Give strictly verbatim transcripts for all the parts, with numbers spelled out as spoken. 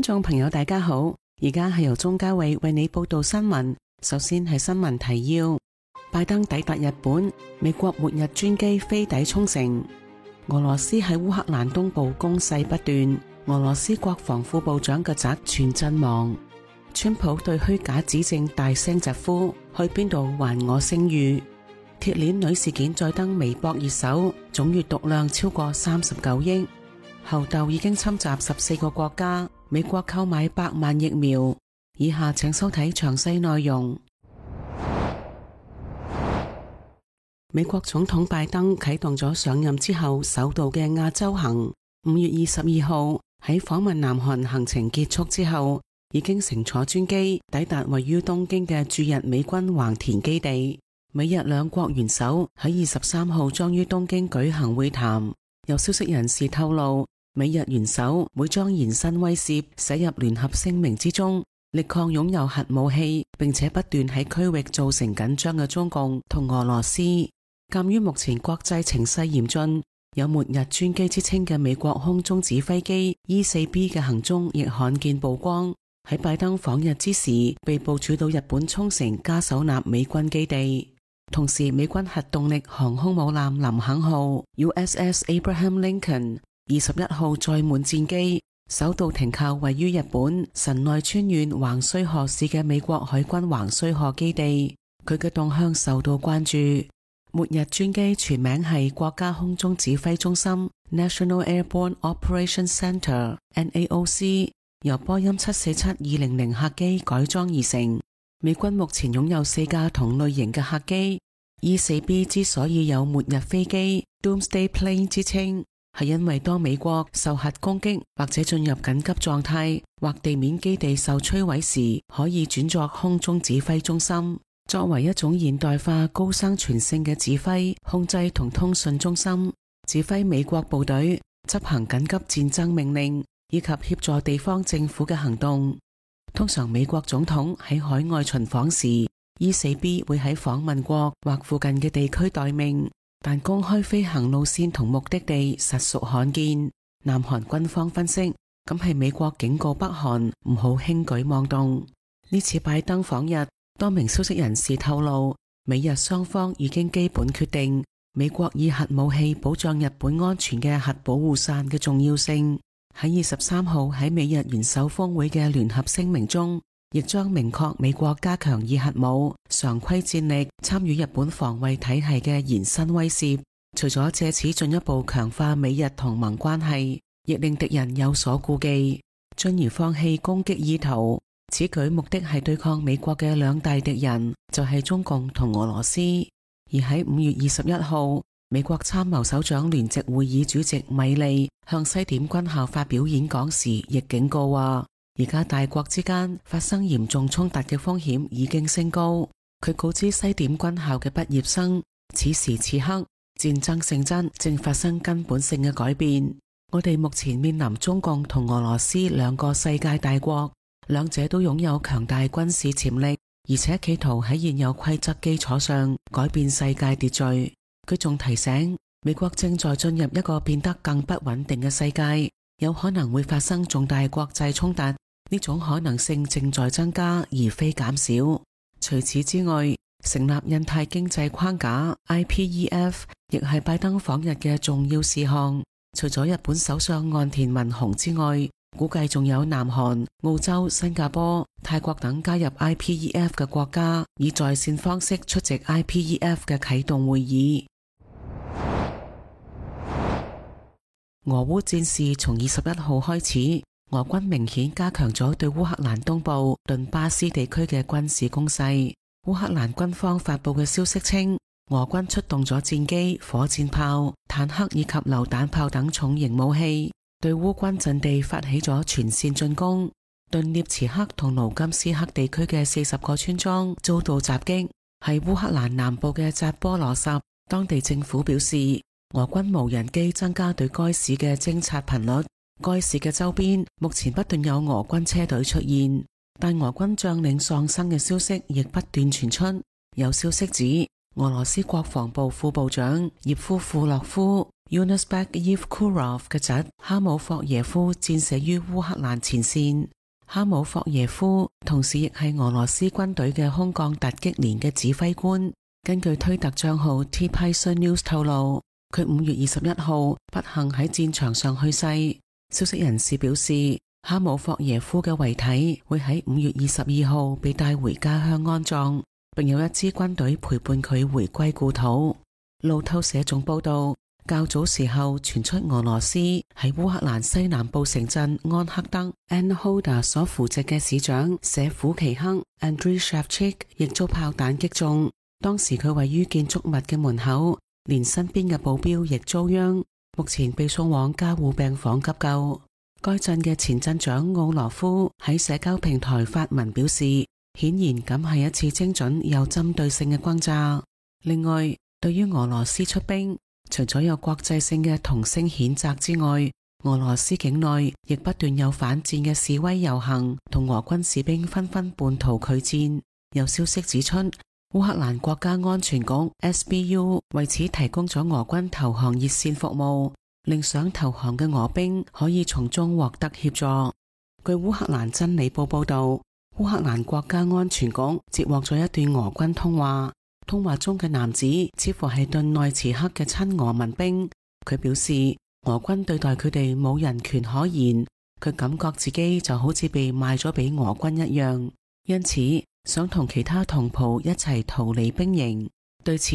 觀眾朋友大家好，而家係由鍾嘉偉為你報道新聞。首先係新聞提要：拜登抵達日本，美國末日專機飛抵沖繩。俄羅斯喺烏克蘭東部攻勢不斷，俄羅斯國防副部長嘅侄全陣亡。川普對虛假指證大聲疾呼：去邊度還我聲譽？鐵鏈女事件再登微博熱搜，總閱讀量超過三十九億。猴痘已經侵襲十四個國家，美國購買百萬疫苗。以下請收睇詳細內容。美國總統拜登啟動咗上任之後首度嘅亞洲行。五月二十二號喺訪問南韓行程結束之後，已經乘坐專機抵達位於東京嘅駐日美軍橫田基地。美日兩國元首喺二十三號將於東京舉行會談。有消息人士透露，美日元首會將延伸威懾寫入聯合聲明之中，力抗擁有核武器並且不斷喺區域造成緊張嘅中共同俄羅斯。鑒於目前國際情勢嚴峻，有末日專機之稱嘅美國空中指揮機 E 四 B 嘅行蹤亦罕見曝光，喺拜登訪日之時被部署到日本沖繩加手納美軍基地。同時，美軍核動力航空母艦林肯號 U S S Abraham Lincoln 二十一號載滿戰機首度停靠位於日本神奈川縣橫須賀市嘅美國海軍橫須賀基地，佢嘅動向受到關注。末日專機全名係國家空中指揮中心 National Airborne Operations Center N A O C， 由波音七四七二零零客機改裝而成。美軍目前擁有四架同類型嘅客機。 E 四 B 之所以有末日飛機 Doomsday Plane 之稱，係因為當美國受核攻擊或者進入緊急狀態，或地面基地受摧毀時，可以轉作空中指揮中心，作為一種現代化高生存性嘅指揮、控制同通訊中心，指揮美國部隊執行緊急戰爭命令，以及協助地方政府嘅行動。通常美國總統喺海外巡訪時， E 四 B 會喺訪問國或附近嘅地區待命，但公開飛行路線同目的地實屬罕見。南韓軍方分析，咁係美國警告北韓唔好輕舉妄動。呢次拜登訪日，多名消息人士透露，美日雙方已經基本決定美國以核武器保障日本安全嘅核保護傘嘅重要性。喺二十三號喺美日元首峰會嘅聯合聲明中，亦將明確美國加強以核武常規戰力參與日本防衛體系嘅延伸威懾。除咗借此進一步強化美日同盟關係，亦令敵人有所顧忌，進而放棄攻擊意圖。此舉目的係對抗美國嘅兩大敵人，就係中共同俄羅斯。而喺五月二十一號，美國參謀首長聯席會議主席米利向西點軍校發表演講時，亦警告話，而家大國之間發生嚴重衝突嘅風險已經升高。佢告知西點軍校嘅畢業生，此時此刻戰爭性質正發生根本性嘅改變。我哋目前面臨中共同俄羅斯兩個世界大國，兩者都擁有強大軍事潛力，而且企圖喺現有規則基礎上改變世界秩序。佢仲提醒，美國正在進入一個變得更不穩定嘅世界，有可能會發生重大國際衝突，呢種可能性正在增加而非減少。除此之外，成立印太經濟框架 I P E F 亦係拜登訪日嘅重要事項。除咗日本首相岸田文雄之外，估計仲有南韓、澳洲、新加坡、泰國等加入 I P E F 嘅國家，以在線方式出席 I P E F 嘅啟動會議。俄烏戰事從二十一號開始，俄軍明顯加強咗對烏克蘭東部頓巴斯地區嘅軍事攻勢。烏克蘭軍方發佈嘅消息稱，俄軍出動咗戰機、火箭炮、坦克以及榴彈炮等重型武器，對烏軍陣地發起咗全線進攻。頓涅茨克同盧甘斯克地區嘅四十個村莊遭到襲擊，喺烏克蘭南部嘅扎波羅什，當地政府表示，俄軍無人機增加對該市嘅偵察頻率。該市嘅周邊目前不斷有俄軍車隊出現，但俄軍將領喪生嘅消息亦不斷傳出。有消息指，俄羅斯國防部副部長葉夫庫洛夫 Yunusbek Yevkurov 嘅侄哈姆霍耶夫戰死於烏克蘭前線。哈姆霍耶夫同時亦係俄羅斯軍隊嘅空降突擊連嘅指揮官。根據推特賬號 T Python News 透露，佢五月二十一號不幸喺戰場上去世。消息人士表示，哈姆霍耶夫嘅遺體會喺五月二十二號被帶回家鄉安葬，並有一支軍隊陪伴佢回歸故土。路透社仲報道，較早時候傳出俄羅斯喺烏克蘭西南部城鎮安克德 Anhoda 所扶植嘅市長舍甫奇克 Andriy Shevchuk 亦遭炮彈擊中，當時佢位於建築物嘅門口，連身邊嘅保鏢亦遭殃，目前被送往加護病房急救。該鎮嘅前鎮長奧羅夫喺社交平台發文表示，顯然咁係一次精準又針對性嘅轟炸。另外，對於俄羅斯出兵，除咗有國際性嘅同聲譴責之外，俄羅斯境內亦不斷有反戰嘅示威遊行，同俄軍士兵紛紛叛逃拒戰。有消息指出，烏克蘭國家安全局 S B U 為此提供咗俄軍投降熱線服務，令想投降嘅俄兵可以從中獲得協助。據烏克蘭真理報報道，烏克蘭國家安全局接獲咗一段俄軍通話，通話中嘅男子似乎係頓內茨克嘅親俄民兵。佢表示，俄軍對待佢哋冇人權可言，佢感覺自己就好似被賣咗俾俄軍一樣，因此想同其他同袍一齊逃離兵營。對此，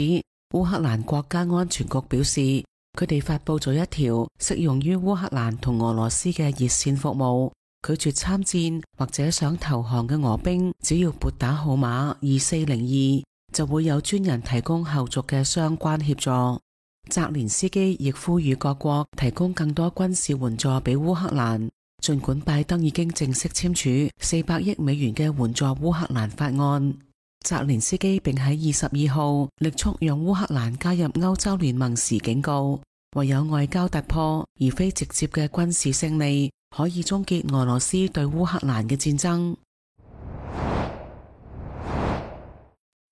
烏克蘭國家安全局表示，佢哋發佈咗一條適用於烏克蘭同俄羅斯嘅熱線服務，拒絕參戰或者想投降嘅俄兵，只要撥打號碼二四零二，就會有專人提供後續嘅相關協助。澤連斯基亦呼籲各國提供更多軍事援助俾烏克蘭。儘管拜登已經正式簽署四百億美元嘅援助烏克蘭法案，澤連斯基並喺二十二號力促讓烏克蘭加入歐洲聯盟時警告，唯有外交突破而非直接嘅軍事勝利，可以終結俄羅斯對烏克蘭嘅戰爭。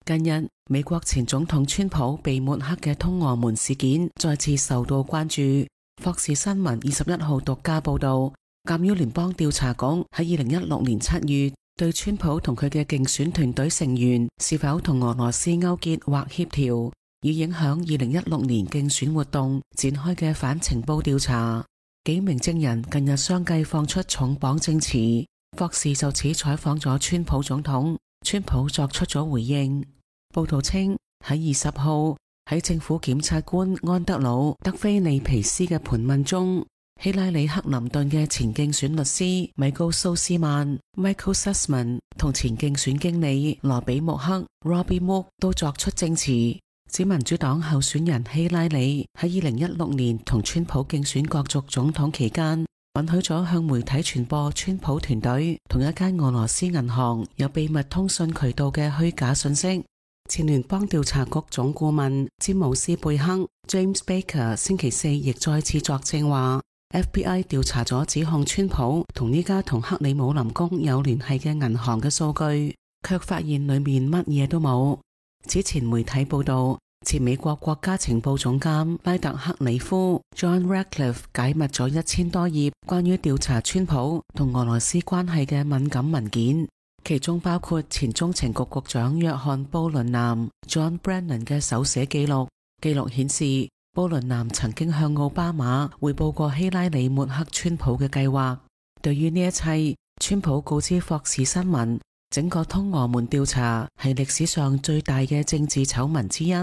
近日，美國前總統川普被抹黑嘅通俄門事件再次受到關注。霍士新聞二十一號獨家報道，鑑於聯邦調查局喺二零一六年七月對川普同佢嘅競選團隊成員是否同俄羅斯勾結或協調，以影響二零一六年競選活動展開嘅反情報調查，幾名證人近日相繼放出重磅證詞。霍士就此採訪咗川普總統，川普作出咗回應。報道稱，喺二十號喺政府檢察官安德魯德菲利皮斯嘅盤問中，希拉里克林頓嘅前競選律師米高蘇斯曼 Michael Sussman 同前競選經理羅比穆克 Robbie Mook 都作出證詞，指民主黨候選人希拉里喺二零一六年同川普競選角逐總統期間，允許咗向媒體傳播川普團隊同一間俄羅斯銀行有秘密通訊渠道嘅虛假信息。前聯邦調查局總顧問詹姆斯貝克 James Baker 星期四亦再次作證話， F B I 調查咗指控川普同呢家同克里姆林宮有聯繫嘅銀行嘅數據，卻發現裏面乜嘢都冇。此前媒體報道，前美國國家情報總監拉特克里夫 John Ratcliffe 解密咗一千多頁關於調查川普同俄羅斯關係嘅敏感文件，其中包括前中情局局長約翰布倫南 John Brennan 嘅手寫記錄。記錄顯示，布倫南曾經向奧巴馬匯報過希拉里抹黑川普嘅計劃。對於呢一切，川普告知霍士新聞，整個通俄門調查係歷史上最大嘅政治醜聞之一。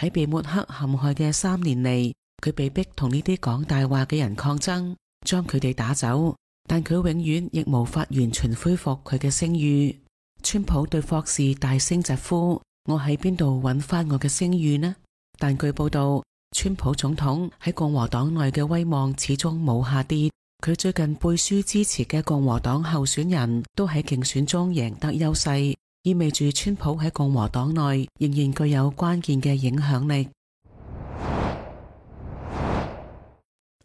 喺被抹黑陷害嘅三年嚟，佢被逼同呢啲講大話嘅人抗爭，將佢哋打走。但佢永遠亦無法完全恢復佢嘅聲譽。川普對霍士大聲疾呼：我喺邊度揾翻我嘅聲譽呢？但據報道，川普總統喺共和黨內嘅威望始終冇下跌。佢最近背書支持嘅共和黨候選人都喺競選中贏得優勢，意味住川普喺共和黨內仍然具有關鍵嘅影響力。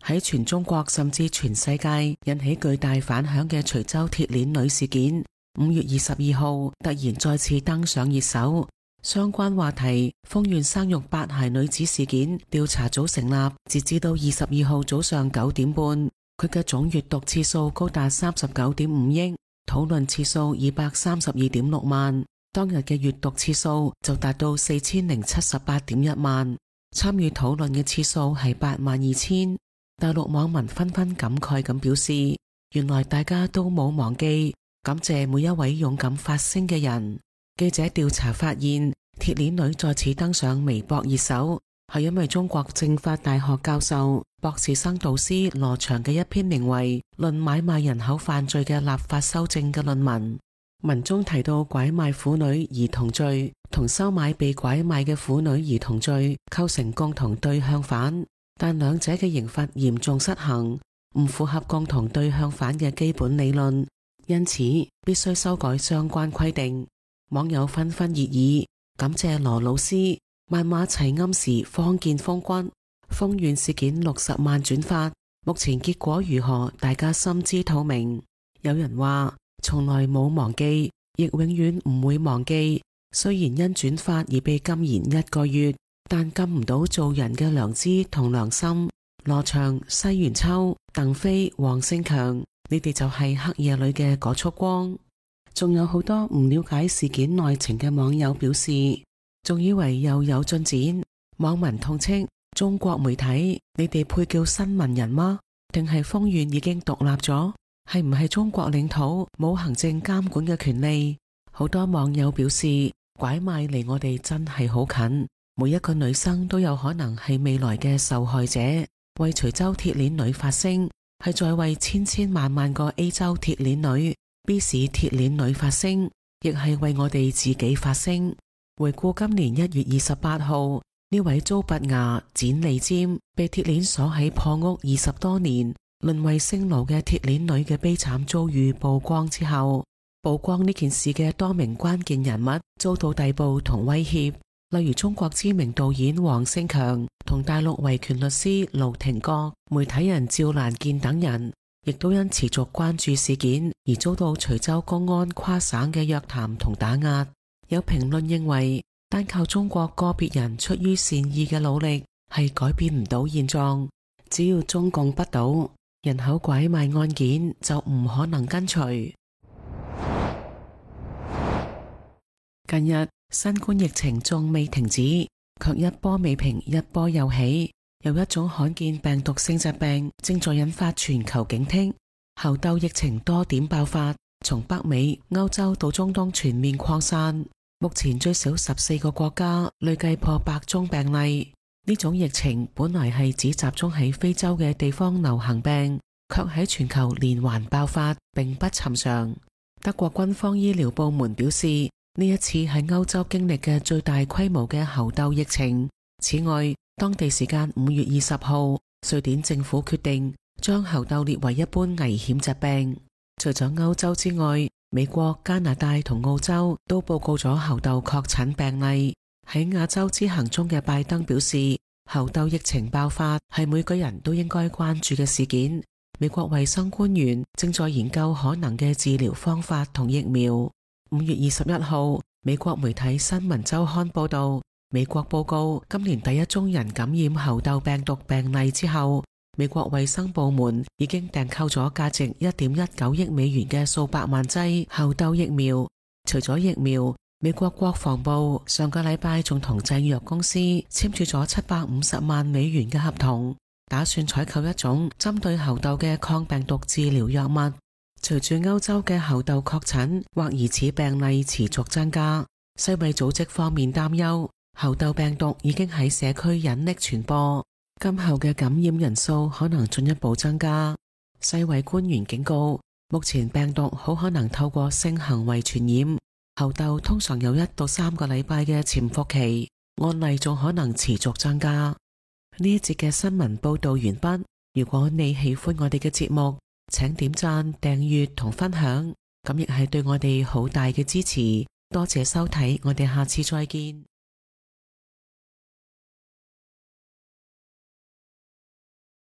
喺全中國甚至全世界引起巨大反響嘅徐州鐵鏈女事件，五月二十二號突然再次登上熱搜。相關話題，豐縣生育八孩女子事件調查組成立，截至到二十二號早上九點半，佢嘅總閱讀次數高達三十九點五億，討論次數二百三十二點六萬，當日嘅閱讀次數就達到四千零七十八點一萬，參與討論嘅次數係八萬二千。大陸網民紛紛感慨咁表示，原來大家都冇忘記，感謝每一位勇敢發聲嘅人。記者調查發現，鐵鏈女再次登上微博熱搜，係因為中國政法大學教授、博士生導師羅翔嘅一篇名為《論買賣人口犯罪嘅立法修正》嘅論文。文中提到拐賣婦女兒童罪同收買被拐賣嘅婦女兒童罪構成共同對向犯，但兩者嘅刑罰嚴重失衡，唔符合共同對向犯嘅基本理論，因此必須修改相關規定。網友紛紛熱議，感謝羅老師，萬馬齊喑時方見風骨。豐縣事件六十萬轉發，目前結果如何，大家心知肚明。有人話，從來冇忘記，亦永遠唔會忘記。雖然因轉發而被禁言一個月，但禁唔到做人嘅良知同良心。羅翔、西元秋、鄧飛、黃勝強，你哋就係黑夜裏嘅嗰束光。仲有好多唔了解事件內情嘅網友表示，仲以為又有進展。網民痛斥中國媒體，你哋配叫新聞人嗎？定係豐縣已經獨立咗？係唔係中國領土冇行政監管嘅權利？好多網友表示，拐賣離我哋真係好近，每一個女生都有可能係未來嘅受害者。為徐州鐵鏈女發聲，係在為千千萬萬個 A 州鐵鏈女、B 市鐵鏈女發聲，亦係為我哋自己發聲。回顧今年一月二十八號，呢位遭拔牙、剪脷尖、被鐵鏈鎖喺破屋二十多年，淪為性奴嘅鐵鏈女嘅悲慘遭遇曝光之後，曝光呢件事嘅多名關鍵人物遭到逮捕同威脅，例如中國知名導演黃勝強同大陸維權律師盧廷國、媒體人趙蘭健等人，亦都因持續關注事件而遭到徐州公安跨省嘅約談同打壓。有評論認為，單靠中國個別人出於善意嘅努力係改變唔到現狀，只要中共不倒，人口拐賣案件就唔可能根除。近日新冠疫情仲未停止，卻一波未平一波又起，有一種罕見病毒性疾病正在引發全球警惕。猴痘疫情多點爆發，從北美、歐洲到中東全面擴散，目前最少十四個國家累計破百宗病例。呢種疫情本來係只集中喺非洲嘅地方流行病，卻喺全球連環爆發，並不尋常。德國軍方醫療部門表示，呢一次係歐洲經歷嘅最大規模嘅猴痘疫情。此外，當地時間五月二十號，瑞典政府決定將猴痘列為一般危險疾病。除咗歐洲之外，美國、加拿大同澳洲都報告咗猴痘確診病例。喺亞洲之行中嘅拜登表示，猴痘疫情爆發係每個人都應該關注嘅事件。美國衛生官員正在研究可能嘅治療方法同疫苗。五月二十一號，美國媒體新聞週刊報道，美國報告今年第一宗人感染猴痘病毒病例之後，美國衛生部門已經訂購咗價值一點一九億美元嘅數百萬劑猴痘疫苗。除咗疫苗，美國國防部上個禮拜仲同製藥公司簽署咗七百五十萬美元嘅合同，打算採購一種針對猴痘嘅抗病毒治療藥物。隨住歐洲嘅猴痘確診或疑似病例持續增加，世衛組織方面擔憂猴痘病毒已經喺社區隱匿傳播，今後嘅感染人數可能進一步增加。世衛官員警告，目前病毒好可能透過性行為傳染，猴痘通常有一到三個禮拜嘅潛伏期，案例仲可能持續增加。呢一節嘅新聞報道完畢。如果你喜歡我哋嘅節目，請點讚、訂閱同分享，咁亦係對我哋好大嘅支持。多謝收睇，我哋下次再見。